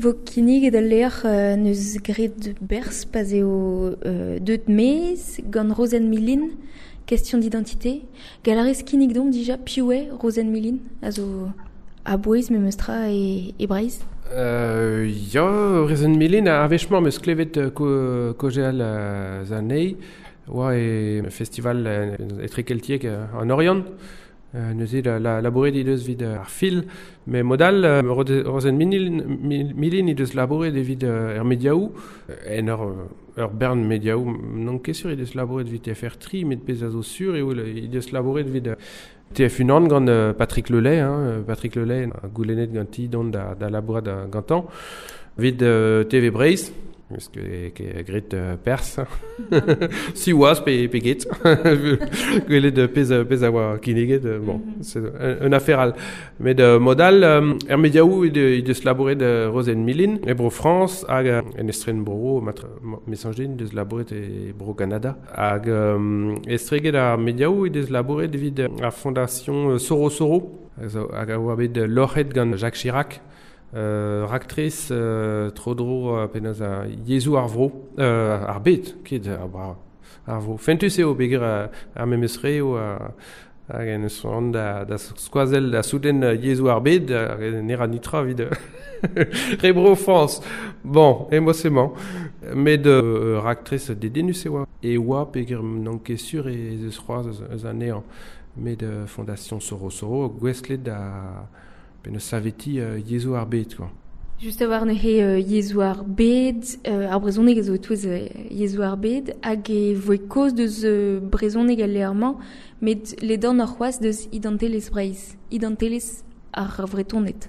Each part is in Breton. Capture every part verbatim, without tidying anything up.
vo kinniget al lec'h euh, neus graet berzh pa'z eo euh, deut mez gant Rozenn Milin, question d'identité. Galarez kinnig domp dija piv eo Rozenn Milin a zo a-bouez memes tra e, e Breizh. Euh, ya, Rozenn Milin, a wech-mañ 'm eus klevet ko, kaozeal euh, anezhi, oa e festival euh, etrekeltiek euh, an Oriant. Euh, neuze la, la, labouret he deus evit ar fil, met mod-all euh, Rozenn Milin, Milin he deus labouret evit euh, er mediaoù, en ur, ur bern mediaoù, n'on ket sur he deus labouret evit T F R tri, met pezh a zo sur eo he deus labouret evit T F unan gant euh, Patrick Lelay, hein, Patrick Lelay a goulennet ganti dont da, da labourat gantañ, evit euh, T V Breizh, eus ket graet euh, pers, si oaz pe, pe get, gwelet pezh, pezh a oa kinniget, bon, mm-hmm. c'est un, un affaire all. Met euh, mod-all, euh, er mediaoù he deus labouret euh, Rozenn Milin, e bro France, hag euh, en estren bro, matre, mesañj din, deus labouret e bro Canada. Hag euh, estreget ar mediaoù he deus labouret evit ar fondation Soro Soro, hag a oa bet loc'het gant Jacques Chirac, Euh, raktres euh, tro-dro euh, penaos a yezhoù ar vro, euh, ar bed, ket ar bra, ar vro. Fentus eo peogwir ar memes re eo hag en eus an da, da skoazell da souden yezhoù ar bed, ne ra nitra evit re bro France. Bon, emañ. Met euh, raktres dedennus e oa. E oa peogwir n'on ket sur ez eus c'hoazh eus anezhañ. Met euh, Fondation Soro Soro gouestlet da penaos saveti euh, yezhoù ar bed, quoi. Just a-walc'h neuze euh, yezhoù ar bed, euh, ar brezhoneg a zo e-touez euh, yezhoù ar bed, hag e voe kaoz deus euh, brezhoneg al lec'h-mañ, met ledan ar c'hoazh deus identelezh Breizh, identelezh ar Vretoned.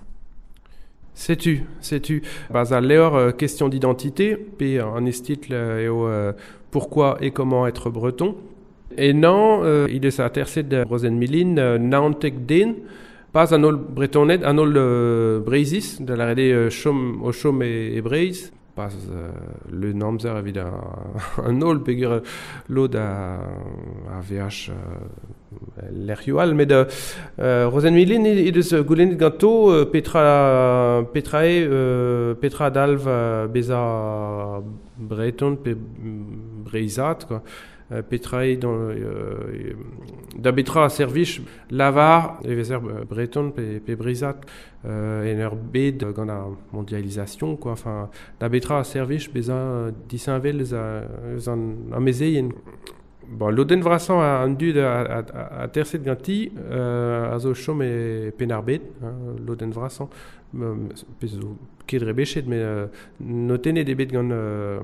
Setu, setu. Baz al levr euh, question d'identité, pe an estitl eo euh, pourquoi et comment être breton. E nan, euh, il eus aterset Rozenn Milin, euh, naontek den, pas an holl Bretoned, an holl euh, Breizhiz, da lâret eo chom, o chom e, e Breizh, pas euh, le namzer evit an holl peogwir lod a, a veaj euh, lec'hioù all, met euh, Rozenn Milin he deus goulennet ganto euh, petra, petra eo, euh, petra dalv euh, bezañ breton pe breizhat, quoi. Petra eo dans, euh, da betra a servij lavar e vezer breton pe, pe breizhat euh, en ur bed gant ar mondialisation, quoi. Enfin, da betra a servij bezañ disheñvel eus eus an amezeien. Bon, lodenn vrasañ an dud a, a, a, a terset ganti euh, a zo chom e Penn-ar-Bed, hein, lodenn vrasañ, pezh zo ket rebechet, met euh, notennet eo bet gant euh,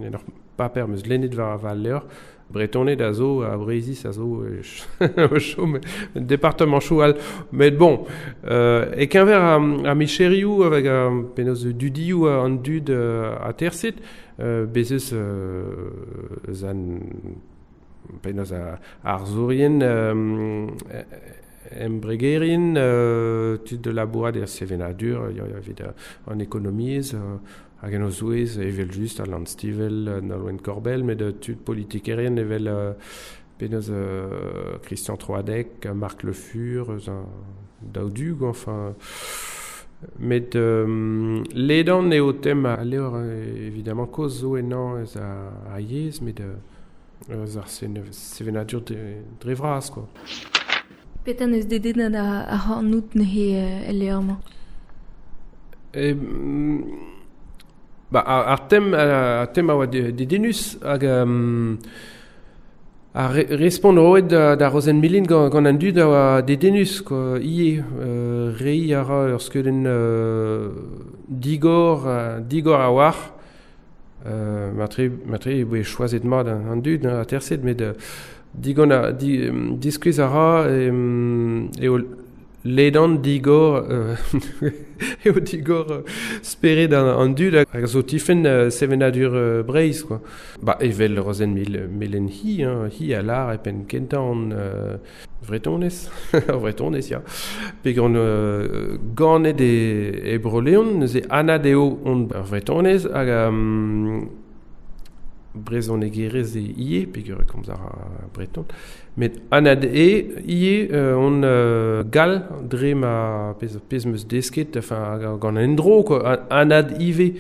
en ur paper meus lennet war, war levr, Bretoned a zo, a Breizhiz a zo, o chom, departement chou all. Met bon, euh, e keñver a, a micherioù avec a, penaos dudioù an dud euh, a terset, euh, bez eus euh, eus an penaos a, arzourien euh, embregerien, euh, tud de labourat er sevenadur, ya, ya, evit an ekonomiezh, euh, hag en o zouez, evel just, Alan Stivell, Nolwenn Korbell, met tud politikerien evel euh, penaos euh, Christian Troadec, Marc Le Fur, eus an daou du, quoi, enfin... Met euh, ledan eo tem a levr, évidemment, kaoz zo ennañ eus a, a yezh, met eus ar sevenadur dre vras, quoi. Petra neus dedennet ar c'hornout neuze el levr-mañ? E, ba, ar, ar tem, ar tem a oa dedennus hag um, ar re, respont roet da, da Rozenn Milin gant, gant an dud a oa dedennus, quoi. Ivez, euh, reiñ a ra ur skeudenn euh, digor, euh, digor a-walc'h. Euh, matre, matre e voe choazet mat an, an dud, a terset, met euh, digon a, di, diskuizh a ra e, eo ledan digor euh, eo digor euh, spered an, an dud hag zo tifenn euh, sevenadur euh, Breizh, quoi. Ba, evel Rozenn Mil, Melen hi, hein, hi a lar e penn kentañ an euh, Vretonez, ar Vretonez, ya. Peogwir on euh, ganet e, e Bro-Leon, neuze anat eo on ar Vretonez hag um, Brezhonegerez e ie, peogwir e komz ar breton. Met anad e ie euh, on euh, gall dre ma pezh, pezh 'm eus desket, enfin gant endro quoi, anad ivez.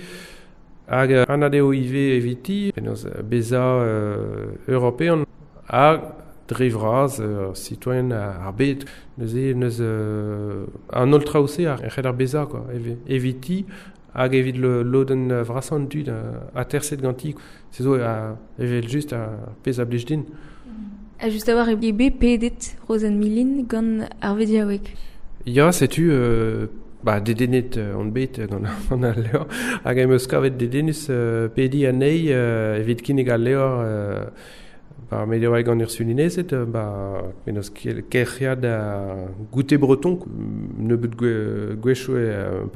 Hag anad eo ivez eviti, penaos bezañ euh, european ha dre vras euh, citoyen ar bed. Neuze neus euh, an holl traoù-se ar c'hell ar bezañ quoi, eviti hag evit le lodenn vrasañ an dud aterset ganti. Se zo evel just ar pezh a blij din. Ha just a-walc'h eo bet pedet Rozenn Milin gant ar vediaoueg. Ya, setu euh, ba, dedennet on bet gant an al levr. Hag em eus kavet dedennus euh, pediñ anezhi euh, evit kinnig al levr euh, ba, mediaoueg an Ursulinezed, ba, penaos kelc'hiad a goûter breton, nebeut gwechoù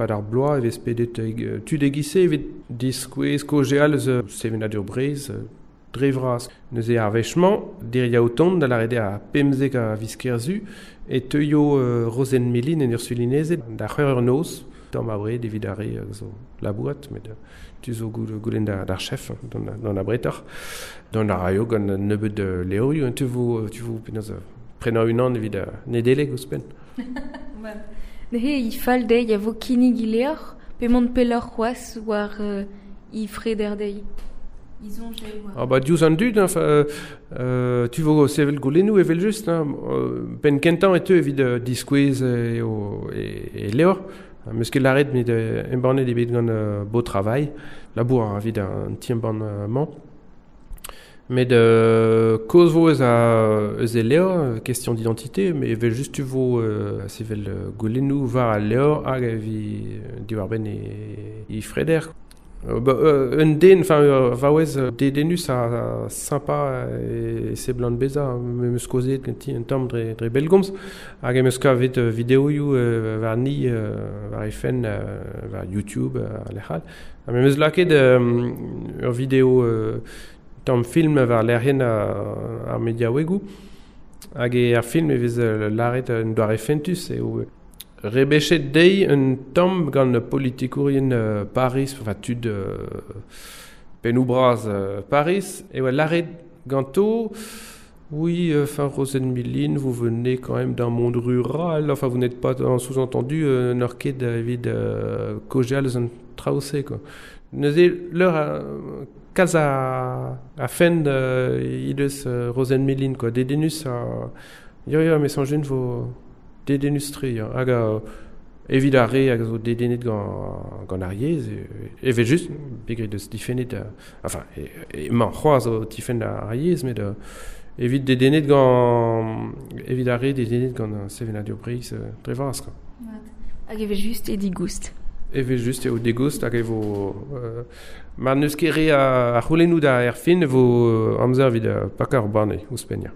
pad ar bloaz e vez pedet tud e-giz-se evit diskouez kaozeal eus sevenadur Breizh dre vras. Neuze ar wech-mañ, diriaou tont da lâret eo ar pemzek a viz Kerzu, e teuio euh, Rozenn Milin en Ursulinezed da c'hwec'h eur noz, tamm abred evit ar re zo labourat, met tu zo goulenn d'ar chef, d'an abretoc'h. Dont a raio gant nebeut levrioù, tu vo, tu vo penaos prenañ unan evit Nedeleg ouzhpenn. Neuze e fall dezhi a vo kinnig he levr, pe mont pelloc'h c'hoazh war euh, he freder dezhi. Ah bah diouzh an dud, hein, euh, tu vo sevel goulennoù evel just, hein, penn kentañ e teu evit euh, diskouez eo e, e levr. Meus ket lâret met embannet eo bet gant euh, Beau Travail, labour ar evit an ti-embann-mañ. Met euh, kaoz vo eus, a, eus e levr, question d'identité, mais evel just tu vo euh, sevel goulennoù war al levr hag evi diwar-benn e, e freder. Euh, bah, euh, un den, enfin, euh, vaouez dedennus ha sympa e seblant bezañ, me 'm eus kaozeet ganti un tamm dre, dre bellgomz, hag em eus kavet videoioù war ni, war he fenn, war YouTube, a lec'h all. Ha me 'm eus lakaet ur video tamm film war lec'hienn ar mediaouegoù, hag e ar film e vez lâret un doare fentus eo rebechet dezhi un tamm gant politikourien euh, Paris, enfin tud euh, pennoù bras euh, Paris, e oa lâret ganto, oui, enfin Rozenn Milin, vous venez quand même d'un monde rural, enfin vous n'êtes pas en sous-entendu euh, n'oc'h ket evit euh, kaozeal eus an traoù-se, quoi. Neuze leur euh, kalz a, a fent euh, he deus euh, Rozenn Milin, quoi, dedennus a... Ya, ya, me soñj vo dedennus-tre, ya. Hag uh, evit ar re hag zo dedennet gant, gant ar yezh, evel just, peogwir deus difennet, uh, enfin, emañ c'hoazh o tifenn ar yezh, met uh, evit dedennet gant, evit ar re dedennet gant sevenadur Breizh uh, dre vras, quoi. Hag evel just e digoust. Evel just eo digoust hag e vo... Uh, mar n'eus ket re a, a c'houlennoù da er fin e vo amzer evit uh, pakañ ur banne ouzhpenn, ya.